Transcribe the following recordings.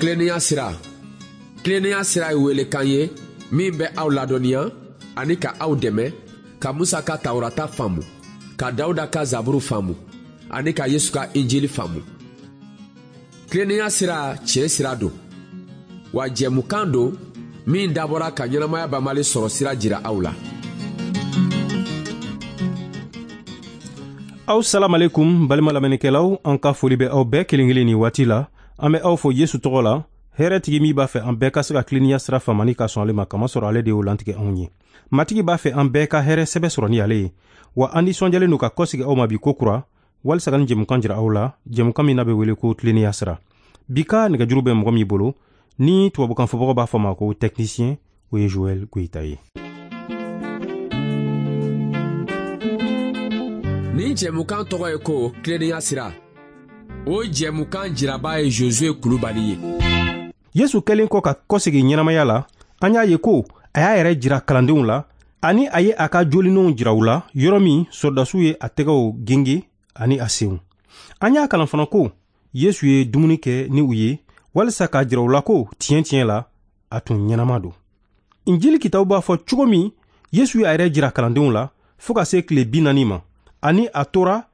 Tilennenya sira. Tilennenya sira ye welekan ye min bɛ aw ladɔnniya ani ka aw dɛmɛ ka Musa ka Tawurata faamu, ka Dawuda ka Zaburu faamu ani ka Yesu ka Injili faamu. Tilennenya sira tiɲɛ sira don, wa jɛmukan don min dabɔra ka ɲɛnamaya banbali sɔrɔ sira jira aw la. Aw salamalekun balima lamɛnnikɛlaw, an ka foli bɛ aw bɛɛ kelen kelen nin waati la. An bɛ aw fo Yesu tɔgɔ la, hɛrɛtigi min b'a fɛ an bɛɛ ka se ka tilennenya sira faamani ka sɔn ale ma, kamasɔrɔ ale de y'o lantigɛ anw ye. Matigi b'a fɛ an bɛɛ ka hɛrɛ sɛbɛ sɔrɔ ni ale ye. Wa an nisɔndiyalen don ka kɔsegi aw ma bi ko kura, walisa ka nin jɛmukan jira aw la, jɛmukan min n'a bɛ wele ko tilennenya sira. Bi ka nɛgɛjuru bɛ mɔgɔ min bolo, ni tubabukan fɔbagaw b'a fɔ ma ko technicien, o ye Joël Goyita ye. Nin jɛmukan tɔgɔ ye ko tilennenya sira. O jɛmukan jiraba ye Josué Kulubali ye. Yesu kɛlen kɔ ka kɔsegin ɲɛnamaya la, an y'a ye ko a y'a yɛrɛ jira kalandenw la, ani a ye a ka jolinenw jira u la, yɔrɔ min sɔrɔdasiw ye a tɛgɛw genge ani a senw. An y'a kalan fana ko Yesu ye dumuni kɛ ni u ye, walisa k'a jira u la ko tiɲɛ tiɲɛ la a tun ɲɛnama don. Injili kitabu b'a fɔ cogo min Yesu y'a yɛrɛ jira kalandenw la fo ka se tile 40 ma, ani a tora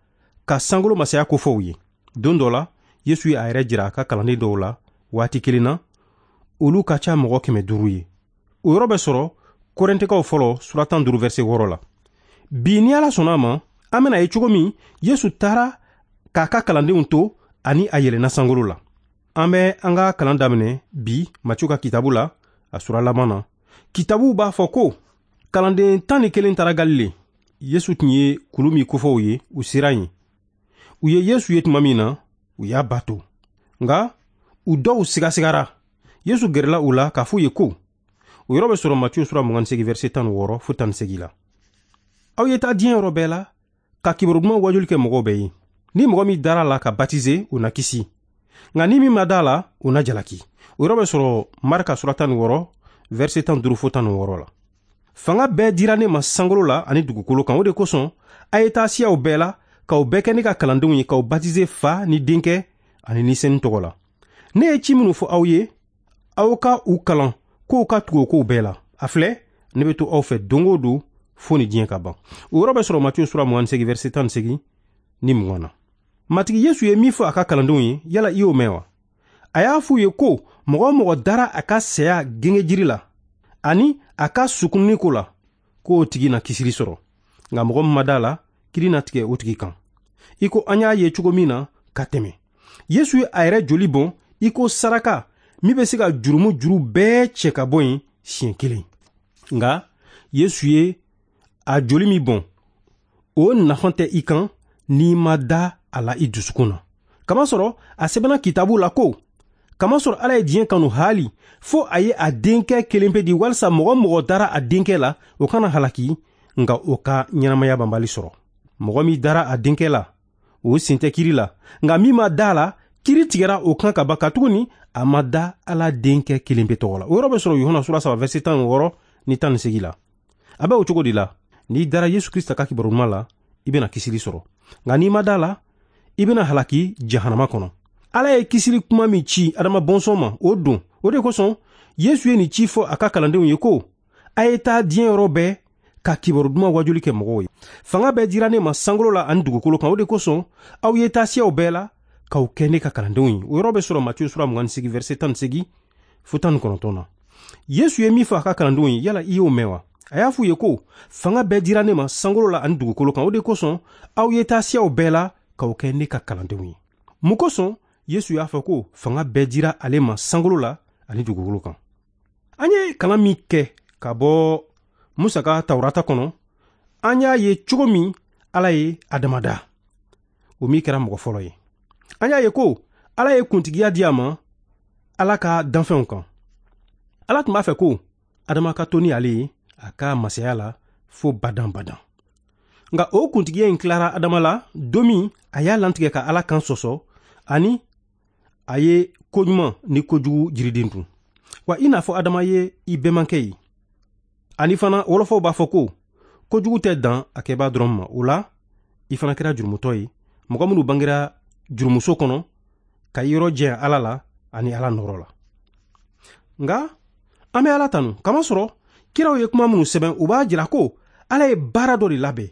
ka sankolo masaya kofɔ u ye. Don dɔ la, Yesu y'a yɛrɛ jira a ka kalanden dɔw la waati kelen na, olu ka ca mɔgɔ 500 ye. O yɔrɔ bɛ sɔrɔ Korɛntikaw fɔlɔ sura 15 verset 6 la. Bi ni Ala sɔnna a ma, an bɛna ye cogo min Yesu taara k'a ka kalandenw to ani a yɛlɛnna sankolo la. An bɛ an ka kalan daminɛ bi Matiyu ka kitabu la, a sura laban na. Kitabu b'a fɔ ko kalanden 11 taara Galile. Yesu tun ye kulu min kofɔ u ye, u sera yen. U ye Yesu ye tuma min na, u y'a bato. Nka u dɔw sigasigara. Yesu gɛrɛla u la k'a fɔ u ye ko, o yɔrɔ bɛ sɔrɔ Matiyu sura 28 verset 16 fo 18 la. Aw ye taa diɲɛ yɔrɔ bɛɛ la ka kibaru duman wajuli kɛ mɔgɔw bɛɛ ye. Ni mɔgɔ min dara la ka batize, o na kisi. Nka ni min ma da la, o na jalaki. O yɔrɔ bɛ sɔrɔ Marika sura 16 verset 15 fo 16 la. Fanga bɛɛ dira ne ma sankolo la ani dugukolo kan. O de kosɔn a ye taa siyaw bɛɛ la k'aw bɛɛ kɛ ne ka kalandenw ye, k'aw batize Fa ni Denkɛ ani Ni Senu tɔgɔ la. Ne ye ci minnu fɔ aw ye, aw ka u kalan k'u ka tugu o kow bɛɛ la. A filɛ, ne bɛ to aw fɛ don o don fo ni diɲɛ ka ban. O yɔrɔ bɛ sɔrɔ Matiyu sura 28 verset 18 ni 20 na. Matigi Yesu ye min fɔ a ka kalandenw ye, yala i y'o mɛn wa? A y'a f'u ye ko mɔgɔ o mɔgɔ dara a ka saya gengejiri la ani a ka sukununi ko la, k'o tigi na kisili sɔrɔ. Nka mɔgɔ min ma da la, kiri na tigɛ o tigi kan. I ko an y'a ye cogo min na ka tɛmɛ, Yesu ye a yɛrɛ joli bɔn i ko saraka min bɛ se ka jurumu juru bɛɛ cɛ ka bɔ yen siɲɛ kelen. Nka Yesu ye a joli min bɔn, o nafa tɛ i kan n'i ma da a la i dusukun na. Kamasɔrɔ a sɛbɛnna kitabu la ko, kamasɔrɔ Ala ye diɲɛ kanu haali fo a ye a denkɛ kelen pe di, walisa mɔgɔ mɔgɔ dara a denkɛ la, o kana halaki, nka o ka ɲɛnamaya banbali sɔrɔ. Mɔgɔ min dara a denkɛ la, o sen tɛ kiri la, nka min ma da la, kiri tigɛra o kan ka ban, katuguni a ma da Ala denkɛ kelen pe tɔgɔ la. O yɔrɔ bɛ sɔrɔ Yohana sura 3 verset 16 ni 18 la. A bɛ o cogo de la, n'i dara Yesu Krista ka kibaru duman la, i bɛna kisili sɔrɔ. Nka n'i ma da la, i bɛna halaki jahanama kɔnɔ. Ala ye kisili kuma min ci Adama bɔnsɔn ma, o don. O de kosɔn Yesu ye nin ci fɔ a ka kalandenw ye ko, a ye taa diɲɛ yɔrɔ bɛɛ ka kibaru duman wajuli kɛ mɔgɔw ye. Fanga bɛɛ dira ne ma sankolo la ani dugukolo kan. O de kosɔn aw ye taa siyaw bɛɛ la k'aw kɛ ne ka kalandenw ye. O yɔrɔ bɛ sɔrɔ Matiyu sura 28 verset 18 fo 19 na. Yesu ye min fɔ a ka kalandenw ye, yala i y'o mɛn wa? A y'a f'u ye ko, fanga bɛɛ dira ne ma sankolo la ani dugukolo kan. O de kosɔn aw ye taa siyaw bɛɛ la k'aw kɛ ne ka kalandenw ye. Mun kosɔn Yesu y'a fɔ ko fanga bɛɛ dira ale ma sankolo la ani dugukolo kan? An ye kalan min kɛ ka bɔ Musa ka Tawurata kɔnɔ, an y'a ye cogo min Ala ye Adama da, o min kɛra mɔgɔ fɔlɔ ye. An y'a ye ko Ala ye kuntigiya di a ma Ala ka danfɛnw kan. Ala tun b'a fɛ ko Adama ka to ni ale ye a ka masaya la fo badan badan. Nka o kuntigiya in tilara Adama la don min a y'a lantigɛ ka Ala kan sɔsɔ, ani a ye koɲuman ni kojugu jiriden dun. Wa i n'a fɔ Adama ye i bɛnbakɛ ye. Ani fana wɔlɔfɔw b'a fɔ ko kojugu tɛ dan a kɛbaa dɔrɔn ma. O la i fana kɛra jurumutɔ ye, mɔgɔ minnu bangera jurumuso kɔnɔ ka yɔrɔ jɛya Ala la ani Ala nɔrɔ la. Nka an bɛ Ala tanu kamasɔrɔ kiraw ye kuma minnu sɛbɛn, u b'a jira ko Ala ye baara dɔ de labɛn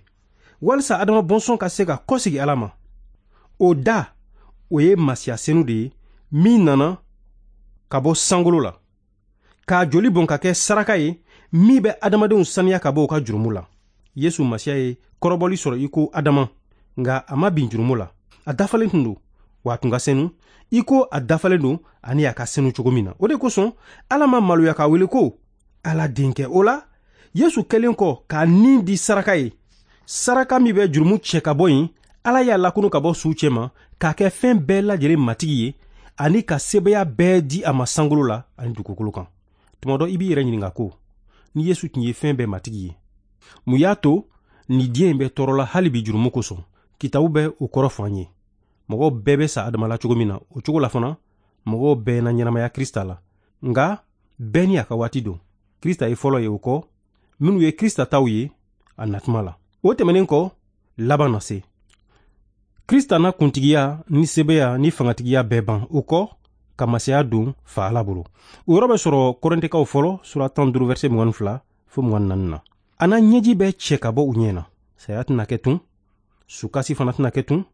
walisa Adama bɔnsɔn ka se ka kɔsegi Ala ma. O da, o ye Masiya senu de ye min nana ka bɔ sankolo la, k'a joli bɔn ka kɛ saraka ye min bɛ adamadenw saniya ka bɔ u ka jurumu la. Yesu Masiya ye kɔrɔbɔli sɔrɔ i ko Adama, nka a ma bin jurumu la. A dafalen tun don, wa a tun ka senu i ko a dafalen don ani a ka senu cogo min na. O de kosɔn Ala ma maloya k'a wele ko Ala denkɛ. O la, Yesu kɛlen kɔ k'a nin di saraka ye, saraka min bɛ jurumu cɛ ka bɔ yen, Ala y'a lakunu ka bɔ suw cɛma k'a kɛ fɛn bɛɛ lajɛlen matigi ye ani ka sebaaya bɛɛ di a ma sankolo la ani dugukolo kan. Tuma dɔ i b'i yɛrɛ ɲininka ko ni Yesu tun ye fɛn bɛɛ matigi ye, mun y'a to ni diɲɛ in bɛ tɔɔrɔ la hali bi jurumu kosɔn? Kitabu bɛ o kɔrɔ fɔ an ye. Mɔgɔw bɛɛ bɛ sa Adama la cogo min na, o cogo la fana mɔgɔw bɛɛ na ɲɛnamaya Krista la. Nka bɛɛ ni a ka waati don. Krista ye fɔlɔ ye, o kɔ minnu ye Krista taw ye a natuma la. O tɛmɛnen kɔ, laban na se. Krista na kuntigiya ni sebeya ni fangatigiya bɛɛ ban, o kɔ ka masaya don fa Ala bolo. O yɔrɔ bɛ sɔrɔ Kɔrɛntɛkaw fɔlɔ sura 15 verset 22 fo 24 na. A na ɲɛji bɛɛ cɛ ka bɔ u ɲɛ na. Saya tɛna kɛ tun, sukasi fana tɛna kɛ tun,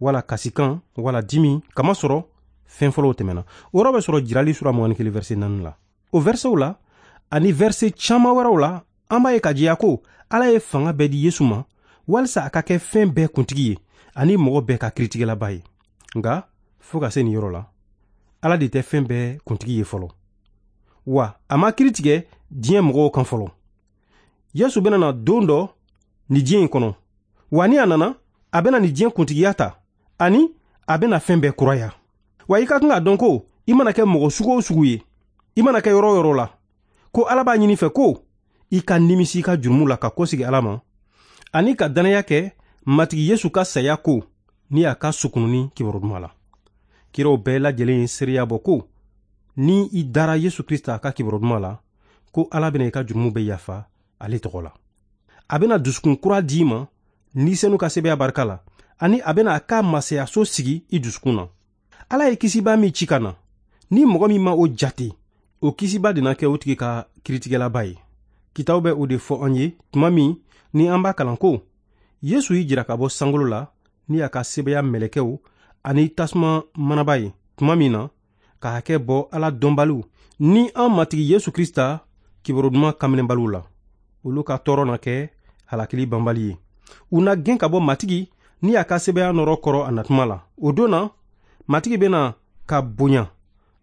wala kasikan, wala dimi, kamasɔrɔ fɛn fɔlɔw tɛmɛna. O yɔrɔ bɛ sɔrɔ Jirali sura 21 verset 4 la. O versetw la ani verset caman wɛrɛw la, an b'a ye ka jɛya ko Ala ye fanga bɛɛ di Yesu ma walisa a ka kɛ fɛn bɛɛ kuntigi ye ani mɔgɔ bɛɛ ka kiritigɛlaba ye. Nka fo ka se nin yɔrɔ la, Ala de tɛ fɛn bɛɛ kuntigi ye fɔlɔ, wa a ma kiri tigɛ diɲɛ mɔgɔw kan fɔlɔ. Yesu bɛna na don dɔ nin diɲɛ in kɔnɔ, wa ni a nana, a bɛna nin diɲɛ kuntigiya ta ani a bɛna fɛn bɛɛ kuraya. Wa i ka kan k'a dɔn ko i mana kɛ mɔgɔ sugu o sugu ye, i mana kɛ yɔrɔ o yɔrɔ la, ko Ala b'a ɲini fɛ ko i ka nimisi i ka jurumu la ka kɔsegi Ala ma ani ka dannaya kɛ Matigi Yesu ka saya ko ni a ka sukununi kibaru duman la. Kiraw bɛɛ lajɛlen ye seereya bɔ ko ni i dara Yesu Krista ka kibaru duman la, ko Ala bɛna i ka jurumu bɛɛ yafa ale tɔgɔ la. A bɛna dusukun kura d'i ma ni senu ka sebeya barika la, ani a bɛna a ka masayaso sigi i dusukun na. Ala ye kisiba min ci ka na, ni mɔgɔ min ma o jate, o kisiba de na kɛ o tigi ka kiritigɛlaba ye. Kitabu bɛ o de fɔ an ye tuma min ni an b'a kalan ko Yesu y'i jira ka bɔ sankolo la ni a ka sebeya mɛlɛkɛw ani tasuma manaba ye tuma min na, ka hakɛ bɔ Ala dɔnbaliw ni an Matigi Yesu Krista kibaru duman kanminɛbaliw la. Olu ka tɔɔrɔ na kɛ halakili banbali ye. U na gɛn ka bɔ Matigi ni a ka sebeya nɔrɔ kɔrɔ a natuma la. O don na, Matigi bɛna ka bonya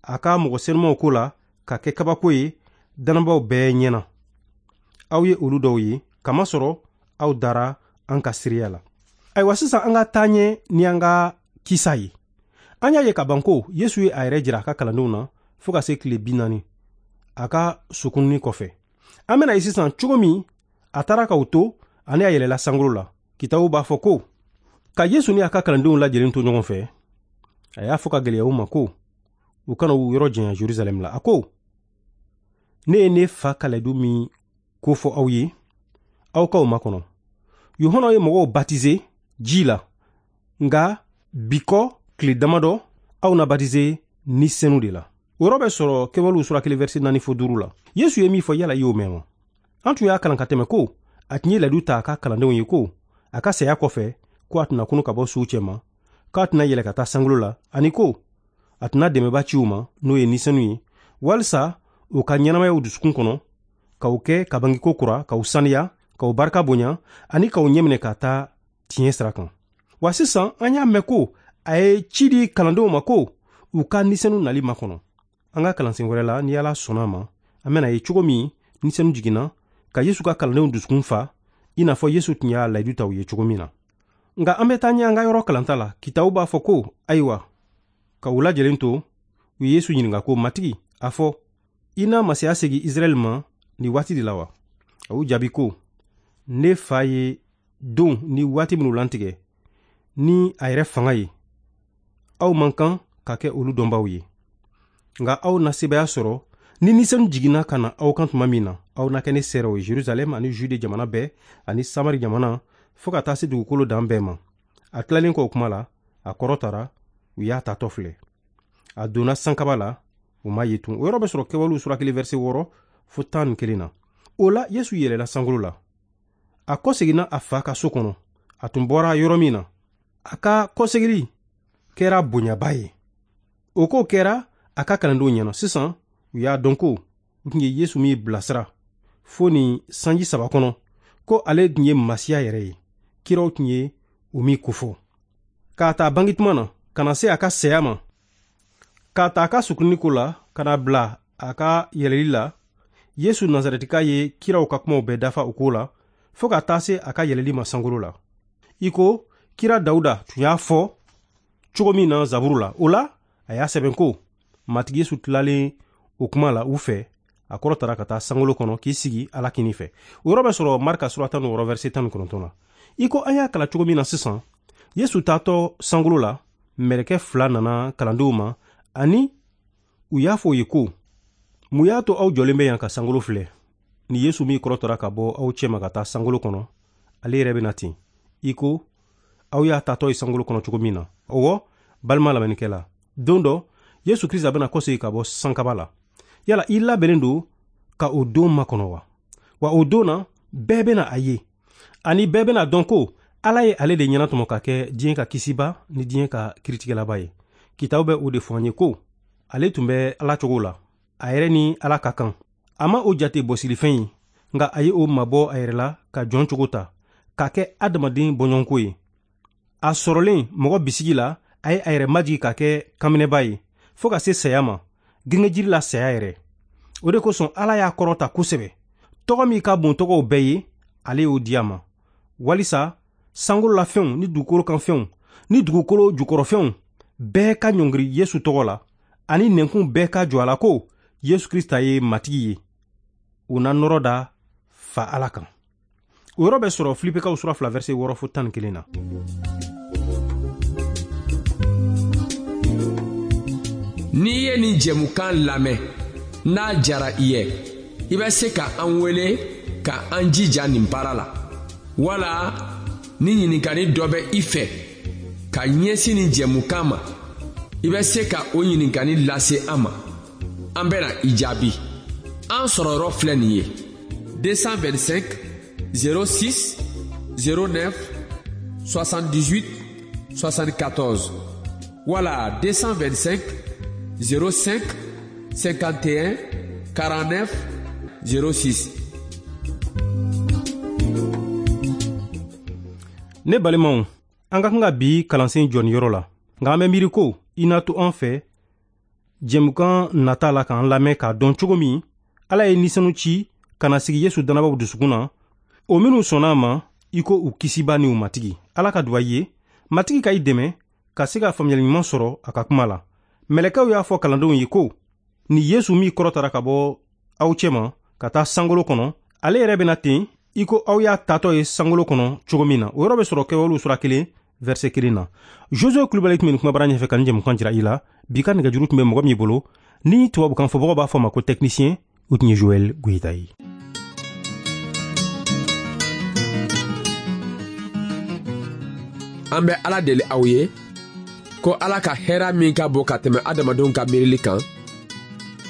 a ka mɔgɔ senumaw ko la ka kɛ kabako ye dannabaaw bɛɛ ɲɛna. Aw ye olu dɔw ye, kamasɔrɔ aw dara an ka seereya la. Ayiwa, sisan an ka taa ɲɛ ni an ka kisa ye. An y'a ye ka ban ko Yesu ye a yɛrɛ jira a ka kalandenw na fo ka se tile 40 a ka sukununi kɔfɛ. An bɛna ye sisan cogo min a taara k'u to ani a yɛlɛla sankolo la. Kitabu b'a fɔ ko ka Yesu ni a ka kalandenw lajɛlen to ɲɔgɔn fɛ, a y'a fɔ ka gɛlɛya u ma ko u kana u yɔrɔ janya Jerusalɛm la. A ko, ne ye ne fa ka layidu min ko fɔ aw ye, aw k'aw makɔnɔ. Yohana ye mɔgɔw batize ji la, nka bi kɔ tile damadɔ aw na batize ni senu de la. O yɔrɔ bɛ sɔrɔ Kɛwalew sura 1 verset 4 fo 5 la. Yesu ye min fɔ, yala i y'o mɛn wa? An tun y'a kalan ka tɛmɛ ko a tun ye layidu ta a ka kalandenw ye ko a ka saya kɔfɛ ko a tɛna kunu ka bɔ suw cɛma, k'a tɛna yɛlɛ ka taa sankolo la, ani ko a tɛna dɛmɛba ci u ma, n'o ye ni senu ye, walisa u ka ɲɛnamaya u dusukun kɔnɔ, k'aw kɛ ka bangeko kura, k'aw saniya, k'aw barika bonya, ani k'aw ɲɛminɛ ka taa tiɲɛ sira kan. Wa sisan an y'a mɛn ko a ye ci di kalandenw ma ko u ka ni senu nali makɔnɔ. An ka kalansen wɛrɛ la, ni Ala sɔnna a ma, an bɛna ye cogo min ni senu jiginna ka Yesu ka kalandenw dusukun fa, i n'a fɔ Yesu tun y'a layidu ta u ye cogo min na. Nka an bɛ taa ɲɛ an ka yɔrɔ kalanta la. Kitabu b'a fɔ ko ayiwa, ka u lajɛlen to, u ye Yesu ɲininka ko, Matigi, a fɔ, i na masaya segin Israɛl ma nin waati de la wa? A y'u jaabi ko, ne fa ye don ni waati minnu lantigɛ ni a yɛrɛ fanga ye, aw man kan ka kɛ olu dɔnbaw ye. Nka aw na sebaaya sɔrɔ ni ni senu jiginna ka na aw kan tuma min na, aw na kɛ ne seerew ye Jerusalɛm ani Jude jamana bɛɛ ani Samari jamana fo ka taa se dugukolo dan bɛɛ ma. A tilalen kɔ o kuma la, a kɔrɔtara, u y'a tatɔ filɛ. A donna sankaba la, U ma ye tun. O yɔrɔ bɛ sɔrɔ Kɛwalew sura 1 verset 6 fo 11 na. O la, Yesu yɛlɛla sankolo la. A kɔseginna a fa ka so kɔnɔ, a tun bɔra yɔrɔ min na. A ka kɔsegili kɛra bonyaba ye. O ko kɛra a ka kalandenw ɲɛna. Sisan u y'a dɔn ko u tun ye Yesu min bilasira fo nin sanji 3 kɔnɔ, ko ale tun ye Masiya yɛrɛ ye, kiraw tun ye o min kofɔ. K'a ta bange tuma na ka na se a ka saya ma, k'a ta a ka sukunni ko la ka na bila a ka yɛlɛli la, Yesu Nazarɛtika ye kiraw ka kumaw bɛɛ dafa o ko la fo ka taa se a ka yɛlɛli ma sankolo la, i ko kira Dawuda tun y'a fɔ cogo min na Zaburu la. O la, a y'a sɛbɛn ko Matigi Yesu tilalen o kuma la u fɛ, a kɔrɔtara ka taa sankolo kɔnɔ k'i sigi Ala kinin fɛ. O yɔrɔ bɛ sɔrɔ Marka sura 16 verset 19 na. I ko an y'a kalan cogo min na sisan, Yesu taatɔ sankolo la, mɛlɛkɛ 2 nana kalandenw ma, ani u y'a fɔ u ye ko: mun y'a to aw jɔlen bɛ yan ka sankolo filɛ? Ni Yesu min kɔrɔtara ka bɔ aw cɛma ka taa sankolo kɔnɔ, ale yɛrɛ bɛ na ten, i ko aw y'a taatɔ ye sankolo kɔnɔ cogo min na. Ɔwɔ, balima lamɛnnikɛla, don dɔ Yesu Krista bɛna kɔsegin ka bɔ sankaba la. Yala i labɛnnen don ka o don makɔnɔ wa? Wa o don na, bɛɛ bɛna a ye, ani bɛɛ bɛna dɔn ko Ala ye ale de ɲɛnatɔmɔ ka kɛ diɲɛ ka kisiba ni diɲɛ ka kiritigɛlaba ye. Kitabu bɛ o de fɔ an ye ko ale tun bɛ Ala cogo la, a yɛrɛ ni Ala ka kan. A ma o jate bɔsilifɛn ye, nka a ye o mabɔ a yɛrɛ la ka jɔn cogo ta, k'a kɛ adamaden bɔɲɔgɔnko ye. A sɔrɔlen mɔgɔ bisigi la, a ye a yɛrɛ majigi ka kɛ kanminɛba ye, fo ka se saya ma, gengejiri la saya yɛrɛ. O de kosɔn Ala y'a kɔrɔta kosɛbɛ. Tɔgɔ min ka bon tɔgɔw bɛɛ ye, ale y'o di a ma, walisa sankolo la fɛnw ni dugukolo kan fɛnw ni dugukolo jukɔrɔfɛnw bɛɛ ka ɲɔngiri Yesu tɔgɔ la, ani nɛnkun bɛɛ ka jɔ a la ko Yesu Krista ye Matigi ye. U na nɔrɔ da fa Ala kan. O yɔrɔ bɛ sɔrɔ Filipekaw sura 2 verset 6 fo 11 na. N'i ye nin jɛmukan lamɛn, n'a jara i ye, i bɛ se ka an wele ka an jija nin baara la. Wala ni ɲininkali dɔ bɛ i fɛ ka ɲɛsin nin jɛmukan ma, i bɛ se ka o ɲininkali lase an ma. An bɛna i jaabi. An sɔrɔ yɔrɔ filɛ nin ye: 225 06 09 78 74 wala 225 05 51 49 06. Ne balimaw, an ka kan ka bi kalansen jɔ nin yɔrɔ la, nka an bɛ miiri ko i na to an fɛ jɛmukan nata la k'an lamɛn k'a dɔn cogo min Ala ye nisanu ci ka na sigi Yesu dannabaw dusukun na, o minnu sɔnna a ma i ko u kisiba ni u Matigi. Ala ka duwa i ye, Matigi ka i dɛmɛ ka se ka faamuyali ɲuman sɔrɔ a ka kuma la. Mɛlɛkɛw y'a fɔ kalandenw ye ko ni Yesu min kɔrɔtara ka bɔ aw cɛma ka taa sankolo kɔnɔ, ale yɛrɛ bɛna ten i ko aw y'a taatɔ ye sankolo kɔnɔ cogo min na. O yɔrɔ bɛ sɔrɔ Kɛwalew sura 1 verset 1 na. Josué Kulubali tun bɛ nin kumabara ɲɛfɛ ka nin jɛmukan jira i la. Bi ka nɛgɛjuru tun bɛ mɔgɔ min bolo, ni tubabukan fɔbagaw b'a fɔ ma ko technicien, o tun ye Joël Goyita ye. An bɛ Ala deli aw ye ko Ala ka hɛrɛ min ka bon ka tɛmɛ adamadenw ka miirili kan,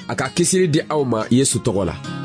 a ka kisili di aw ma Yesu tɔgɔ la.